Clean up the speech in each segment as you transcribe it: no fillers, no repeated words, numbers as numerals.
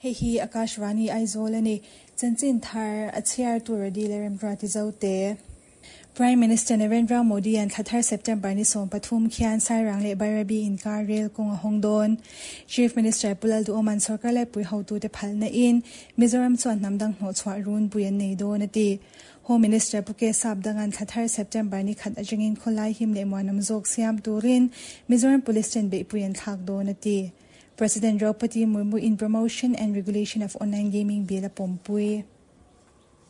Hei hi Akashvani Aizawl a ni. Chanchin thar a chhiar tur a dil e Remruati Zote. Prime Minister Narendra Modi-a'n thla thar September ni 13 khian Sairang leh Bairabi inkar rel kawng a hawng dawn. Chief Minister Pu Lalduhawma'n sorkar laipui hotute phalna in Mizoram chuan hnam dang hnawhchhuah runpui an nei dawn a ti. Home Minister Pu K Sapdanga'n thla thar September ni khat atangin khawlai him leh muanawm zawk siam turin Mizoram Police ten beihpui an thlak dawn a ti. President Draupadi Murmu in Promotion and Regulation of Online Gaming Bill a pawmpui.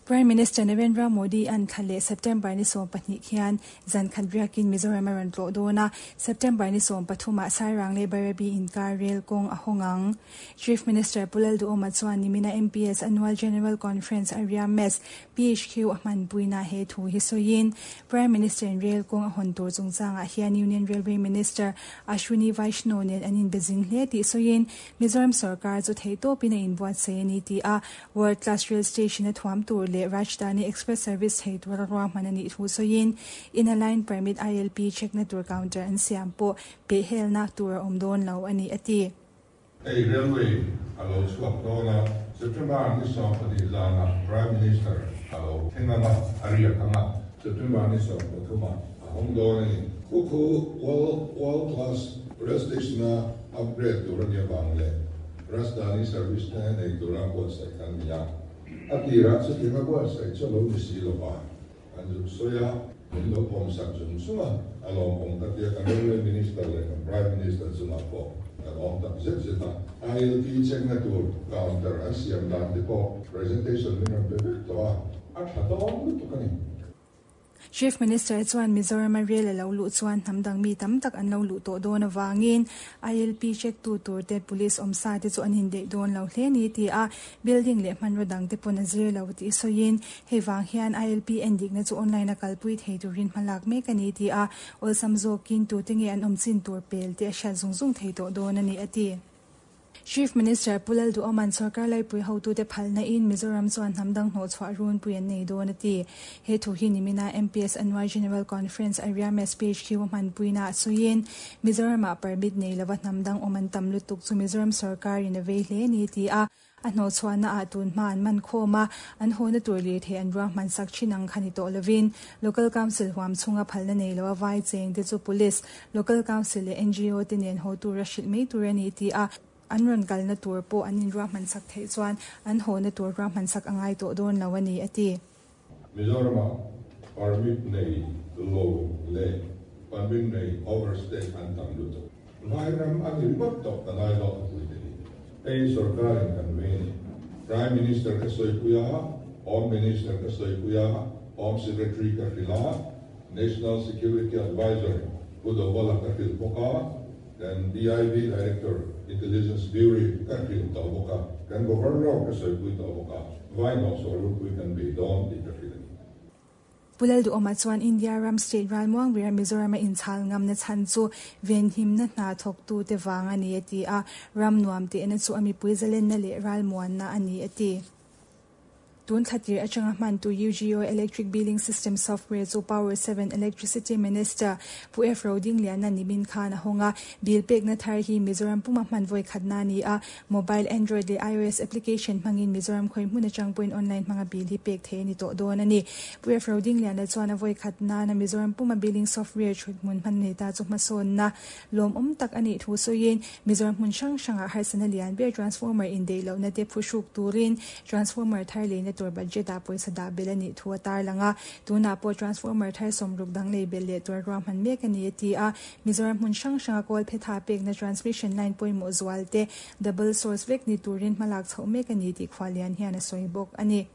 Prime Minister Narendra Modi an thla leh September ni 12 khian zan khat riakin Mizoram a rawn tlawh dawn a, September ni 13 ah Sairang leh Bairabi inkar rel kawng a hawng ang. Chief Minister Pu Lalduhoma chuan nimina MPS Annual General Conference a ria mess PHQ a hmanpuina he thu hi sawiin Prime Minister in rel kawng a hawn tur chungchangah hian Union Railway Minister Ashwini Vaishnaw nen an inbe zing hle tih sawiin Mizoram sorkar chu theihtawpin a inbuatsaih a ni tih a World Class Rail Station a thuam tur leh Rajdhani Express Service thei tura ruahman a nih thu sawiin Inner Line Permit ILP check na tur counter an siam pawh pehhelna tur a awm dawn lo a ni a ti. Hei railway a lo chhuak dawn a, September ni 12 zanah Prime Minister a lo thleng ang a, a riak ang a, September ni 13 ah a hawng dawn a ni. Khu khu World World Class Rail Station a upgrade tur a nih avang leh Rajdhani service te nei tura buatsaih kan ni a, a tirah chutianga buatsaih chu a lo ni si lo va, an zuk sawi a, min lo pawmsak zung zung a, a lawmawm ka tia kan Railway Minister leh kan Prime Minister chungah pawh kan awm tak zet zet a. ILP check-na tur counter an siam dan te pawh presentation min rawn pe vek tawh a, a tha dawn lutuk a ni. Chief Minister chuan Mizoram a rel a lo luh chuan hnam dang mi tam tak an lo luh tawh dawn avangin ILP check tu tur te police awm sa te chu an indeih dawn lo hle ni ti a, building leh hmanraw dang te pawn a zir lo tih sawiin hei vang hian ILP endikna chu online a kalpui thei turin hmalak mek a ni ti a, awlsam zawkin tute nge an awm chin tur pel te a hriat zung zung thei tawh dawn a ni a ti. Chief Minister Pu Lalduhawma'n sorkar laipui hotute phalna in Mizoram chuan hnam dang hnawhchhuah runpui an nei dawn a ti. He thu hi nimina MPS Annual General Conference a Riames PHQ a hmanpuina ah sawiin Mizoramah permit nei lova hnam dang awm an tam lutuk chu Mizoram sorkarin a vei hle ni ti a, a hnawhchhuahna ah tun hma an man khawm a, an hawna tur lirthei an ruahman sak thin ang kha ni tawh lovin Local Council huam chhunga phalna nei loa vai cheng te chu Police, Local Council leh ngo te nen haw tura hrilh mai tur a ni ti a, an rawn kalna tur pawh an inruahman sak theih chuan an hawna tur ruahman sak a ngai tawh dawn lo a ni, a ti. Mizoramah permit nei lo leh permit nei overstay an tam lutuk. Vairam a ni ringawt tawh ka ngai zawk a puite hi. Hei sorkarin kan vei a ni. Prime Minister ka sawipui a, Home Minister ka sawipui a, Home Secretary ka hrilh a, National Security Adviser Pu Dovala ka hrilh bawk a, kan DIB Director, Intelligence Bureau ka hrilh tawh bawk a, kan Governor ka sawipui tawh bawk a, vai hnawhchhuah rulpui kan bei dawn tih ka hrilh a ni. Pu Lalduhawma chuan India ram state ralmuang ber Mizoram a inchhal ngamna chhan chu venhimna hna thawktute vang a ni a ti a, ram nuam tehna chu a mipui zalenna leh ralmuanna a ni a ti. Tun thla tir atanga hmantu UGO Electric Billing System Software chu Power 7 Electricity Minister Pu F Rodingliana nimin khan a hawng a, bill pekna thar hi Mizoram puma hman vawi khatna a ni a, mobile Android leh iOS application hmangin Mizoram khawi hmun atang pawhin online hmanga bill hi pek theih a ni tawh dawn a ni. Pu F Rodingliana chuan a vawi khatnana Mizoram puma billing software thut hmun hman nei ta chu hmasawnna lawmawm tak a nih thu sawiin Mizoram hmun hrang hrangah harsatna lian ber transformer indeih lohna te phuhruk turin transformer thar leina tur budget ah pawisa dah belh a nih thu a tarlang a, tunah pawh transformer thar sawmruk dang lei belh leh tur ruahman mek a ni a ti a. Mizoram hmun hrang hranga kawl phetha pekna transmission line pawimawh zual te double source vek ni turin hmalak chhoh mek a ni tih khualian hian a sawi bawk a ni.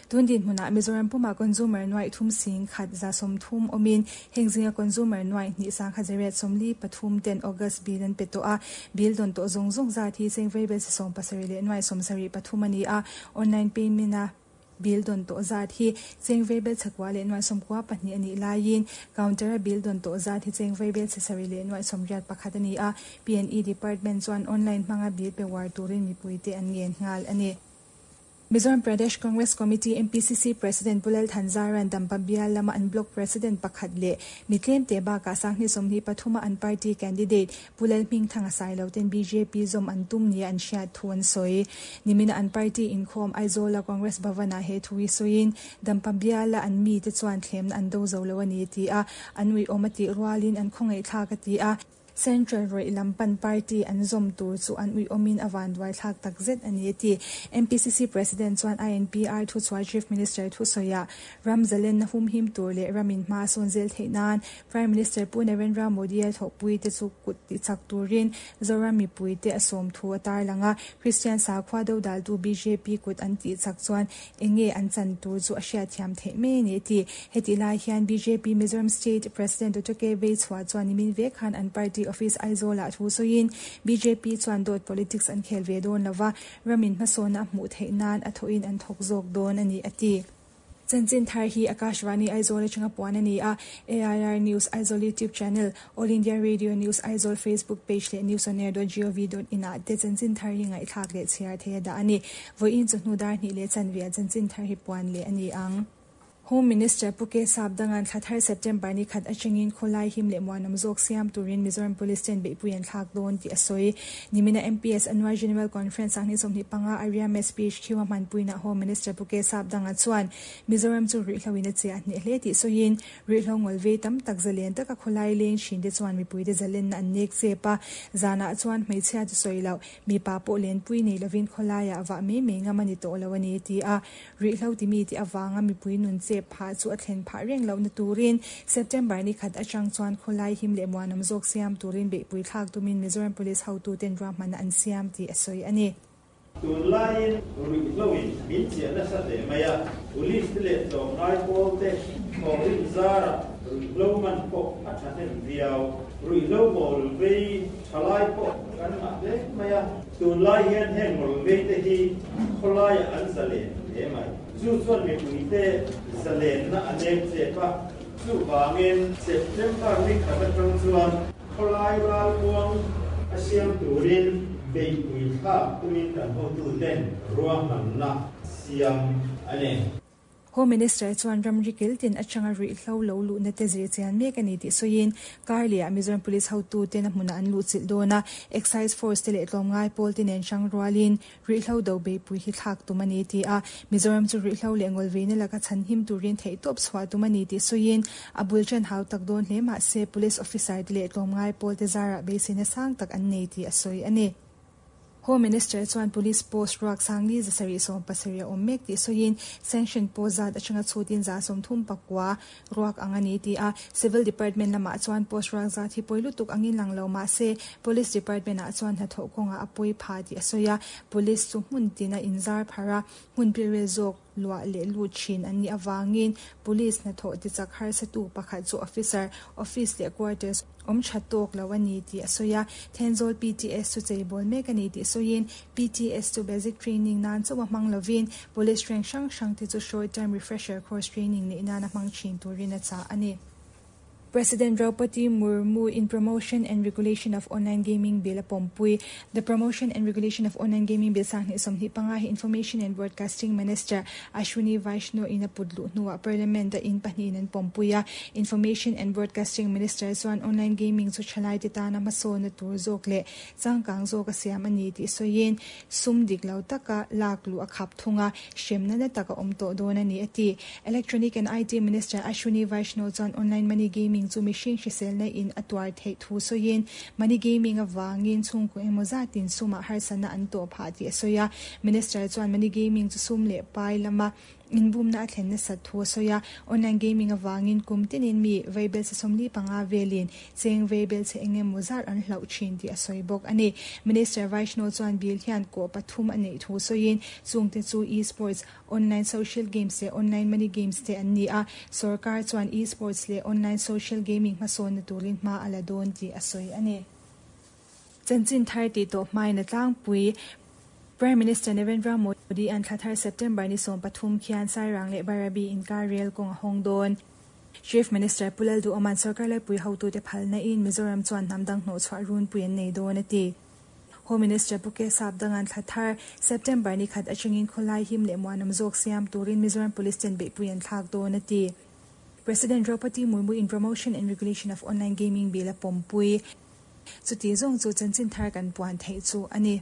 Tun dinhmunah Mizoram pumah consumer nuaih thum sing khat 130 awmin heng zinga consumer nuaih hnih 1143 ten August bill an pe tawh a, bill dawn tawh zawng zawng zat hi cheng vaibel si 70 leh nuaih 73 a ni a, online payment a bill dawn tawh zat hi cheng vaibel chakua leh nuaih 92 a nih laiin counter a bill dawn tawh zat hi cheng vaibel chhe sarih leh nuaih 81 a ni a, P&E department chuan online hmanga bill pe uar turin mipuite an ngen nghal a ni. Mizoram Pradesh Congress Committee, MPCC, President Pu Lal Thanzara'n Dampa bial lama an Block President pakhat leh mi tlemte bakah Sanghni 23 a an party candidate Pu Lal Hmingthanga Sailo ten bjp zawm an tum nia an hriat thu an sawi. Nimina an party inkhawm Aizawla Congress Bhavan-ah he thu hi sawiin Dampa biala an mite chuan thlemna an do zo lo a ni a ti a, an uiawm a tih rualin an khawngaihthlak a ti a. Central rawih lam pan party an zawm tur chu an uiawmin a vanduaithlak tak zet a ni a ti. MPCC President chuan INPR thuchhuah Chief Minister thusawiah ram zalenna humhim tur leh ramin hma a sawn zel theih nan Prime Minister Pu Narendra Modi-a thawhpuite chu kut tichak turin Zoram mipuite a sawm thu a tarlang a. Christian sakhua dodaltu bjp kut an tihchak chuan Enge an chan tur chu a hriatthiam theih mai a ni a ti. Hetih lai hian bjp Mizoram State President Doctor K Veichhua chuan nimin vek khan an party office Aizawl-ah thu sawiin bjp chuan dawt politics an khel ve dawn lova, ramin hmasawnna a hmuh theih nan a thawhin an thawk zawk dawn a ni a ti. Chanchin thar hi Akashvani Aizawl atanga puan a ni a, AIR News Aizawl YouTube channel, All India Radio News Aizawl Facebook page leh newsonair.gov.in ah te chanchin thar hi ngaihthlak leh chhiar thei a dah a ni. Vawiin chawhnu dar hnih leh chanve ah chanchin thar hi puan leh a ni ang. Home Minister Pu K Sapdanga'n thla thar September ni khat atangin khawlai him leh muanawm zawk siam turin Mizoram Police ten beihpui an thlak dawn tih a sawi. Nimina MPS Annual General Conference sanghnih 25 Area Mess PHQ a hmanpuinaah Home Minister Pu K Sapdanga chuan Mizoram chu ruihhlo in a chiah hneh hle tih sawiin Ruihhlo ngawl vei tam tak zalen taka khawlai leng thin te chuan mipuite zalenna an nek chep a, zanah chuan hmeichhia chu sawi loh, mipa pawh lenpui nei lovin khawlaiah vah mai mai ngam a ni tawh lo a ni, ti a. Ruihhlo timi tih avanga mipui nun chep phah chu a thlen phah reng lohna turin September ni khat atang chuan khawlai him leh muanawm zawk siam turin beihpui thlak tumin Mizoram Police hotuten ruahmanna an siam tih a sawi a ni. Tunlaiin ruihhloin min chiah nasa hle mai a, police te leh tlawmngai pawl te thawhrim zarah ruihhlo man pawh a thahnem viau. Ruihhlo ngawl vei thalai pawh kan ngah hle mai a, tunlai hian heng ngawl vei te hi khawlaiah an zalen hle mai. Chu chuan mipuite zalenna a nem chep a, chuvangin September ni khat atang chuan Khawlai ralmuang a siam turin beihpui thlak tumin kan hotuten ruahmanna siam a ni. Home Minister chuan ramri kiltin atanga ruihhlo lo luhna te zir chian mek a ni tih sawiin Karleh-ah Mizoram Police hotuten a hmunah an luhchilh dawn a, Excise Force te leh tlawmngai pawl te nen hrang rualin Ruihhlo do beihpui hi thlak tum a ni ti a, Mizoram chu ruihhlo leh ngawlveina laka chhanhim turin theihtawp chhuah tum a ni tih sawiin, a bul ṭan hau tak dawn hle mah se Police Officer te leh tlawmngai pawlte zarah beiseina sang tak an nei tih a sawi a ni. Home Minister chuan Police Post ruak sangli 770 a awm mek tih sawiin, Sanction post zat atanga chhutin 39 ruak ang a ni ti a, Civil Department lamah chuan post ruak zat hi pawi lutuk angin lang lo mah se, Police Department ah chuan hnathawh kawngah a pawi pha tih a sawi a, Police chu hmun tina inzar pharh a, hmun pilril zawk luah leh lut thin an nih avangin Police hnathawh tichak harsatu pakhat chu Officer, Office leh Quarters awm tha tawk lo a ni tih a sawi a, Thenzawl PTS chu cheibawl mek a ni tih sawiin PTS chu basic training nan chauh a hmang lovin Police rank hrang hrang te chu short term refresher course training neih nan a hmang thin turin a chah a ni. President Draupadi Murmu in Promotion and Regulation of Online Gaming Bill a pawmpui. The Promotion and Regulation of Online Gaming Bill 2025 hi Information and Broadcasting Minister Ashwini Vaishnaw in a put luh hnuah Parliament a in pahnihin an pawmpui a. Information and Broadcasting Minister chuan online gaming chu thalaite tana hmasawnna tur zawk leh changkang zawk a siam a ni tih sawiin sum dik lo taka lak luh a khap thung a, hremna na tak a awm tawh dawn a ni a ti. Electronic and IT Minister Ashwini Vaishnaw chuan online money gaming chu mihring hriselna in a tuar theih thu sawiin money gaming avangin chhungkaw engmaw zatin sumah harsatna an tawh phah tih a sawi a. Minister chuan money gaming chu sum leh pai lama inbumna a thlen nasat thu a sawi a. Online gaming avangin kum tinin mi vaibelchhe 45 velin cheng vaibelchhe eng emaw zat an hlauh thin tih a sawi bawk a ni. Minister Vaishnaw chuan bill hian kawh pathum a neih thu sawiin chungte chu e-sports, online social games leh online money games te an ni a. Sorkar chuan e-sports leh online social gaming hmasawnna turin hma a la dawn tih a sawi a ni. Chanchin thar tih tawh hmain a tlangpui. Prime Minister Narendra Modi an thla thar September ni 13 khian Sairang leh Bairabi inkar rel kawng a hawng dawn. Chief Minister Pu Lalduhawma'n sorkar laipui hotute phalna in Mizoram chuan hnam dang hnawhchhuah runpui an nei dawn a ti. Home Minister Pu Kesap Danga'n thla thar, September ni khat atangin khawlai him leh muanawm zawk siam turin Mizoram Police ten beihpui an thlak dawn a ti. President Draupadi Murmu in Promotion and Regulation of Online Gaming Bill a pawmpui. Chuti zawng chu chanchin thar kan puan theih chu a ni.